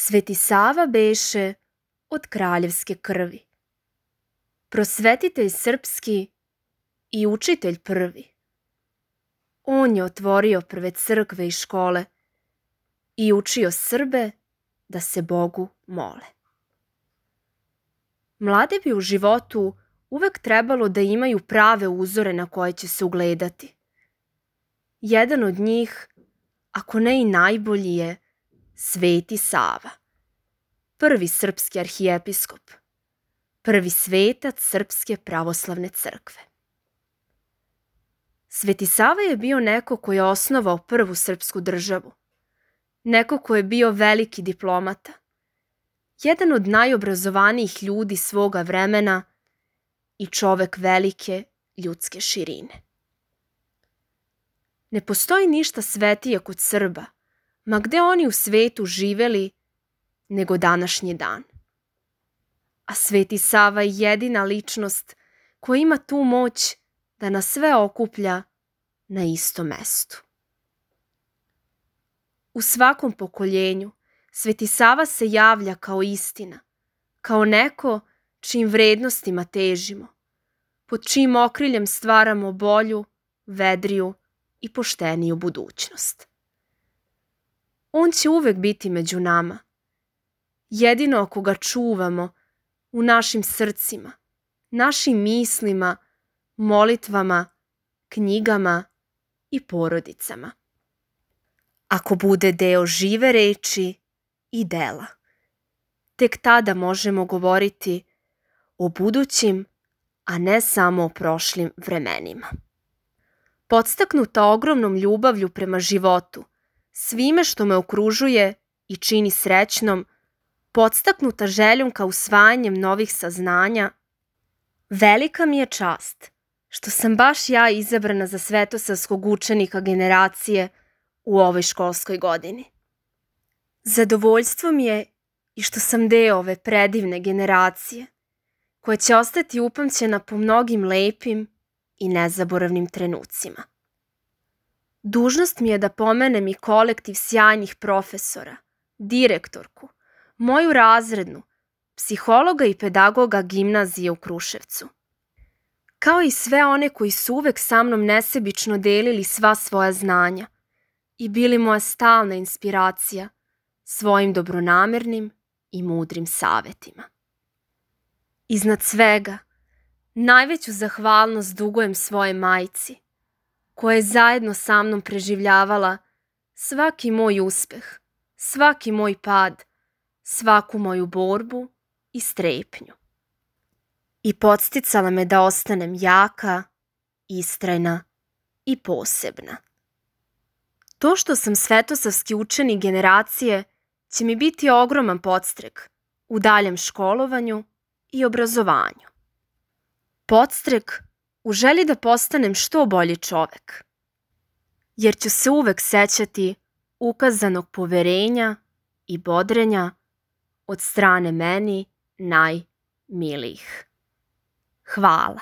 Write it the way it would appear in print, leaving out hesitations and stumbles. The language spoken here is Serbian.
Sveti Sava beše od kraljevske krvi, prosvetitelj srpski i učitelj prvi. On je otvorio prve crkve i škole i učio Srbe da se Bogu mole. Mlade bi u životu uvek trebalo da imaju prave uzore na koje će se ugledati. Jedan od njih, ako ne i najbolji, je Sveti Sava, prvi srpski arhijepiskop, prvi svetac Srpske pravoslavne crkve. Sveti Sava je bio neko ko je osnovao prvu srpsku državu, neko ko je bio veliki diplomata, jedan od najobrazovanijih ljudi svoga vremena i čovek velike ljudske širine. Ne postoji ništa svetije kod Srba, ma gde oni u svetu živeli, nego današnji dan. A Sveti Sava je jedina ličnost koja ima tu moć da nas sve okuplja na istom mestu. U svakom pokoljenju Sveti Sava se javlja kao istina, kao neko čijim vrednostima težimo, pod čijim okriljem stvaramo bolju, vedriju i pošteniju budućnost. On će uvek biti među nama, jedino ako ga čuvamo u našim srcima, našim mislima, molitvama, knjigama i porodicama. Ako bude deo žive reči i dela, tek tada možemo govoriti o budućim, a ne samo o prošlim vremenima. Podstaknuta ogromnom ljubavlju prema životu, svime što me okružuje i čini srećnom, podstaknuta željom ka usvajanjem novih saznanja, velika mi je čast što sam baš ja izabrana za svetosavskog učenika generacije u ovoj školskoj godini. Zadovoljstvo mi je i što sam deo ove predivne generacije, koja će ostati upamćena po mnogim lepim i nezaboravnim trenucima. Dužnost mi je da pomenem i kolektiv sjajnih profesora, direktorku, moju razrednu, psihologa i pedagoga gimnazije u Kruševcu, kao i sve one koji su uvek sa mnom nesebično delili sva svoja znanja i bili moja stalna inspiracija svojim dobronamernim i mudrim savetima. Iznad svega, najveću zahvalnost dugujem svoje majci, koja je zajedno sa mnom preživljavala svaki moj uspeh, svaki moj pad, svaku moju borbu i strepnju. I podsticala me da ostanem jaka, istrajna i posebna. To što sam svetosavski učenik generacije će mi biti ogroman podstrek u daljem školovanju i obrazovanju. Podstrek u želji da postanem što bolji čovek, jer ću se uvek sećati ukazanog poverenja i bodrenja od strane meni najmilijih. Hvala.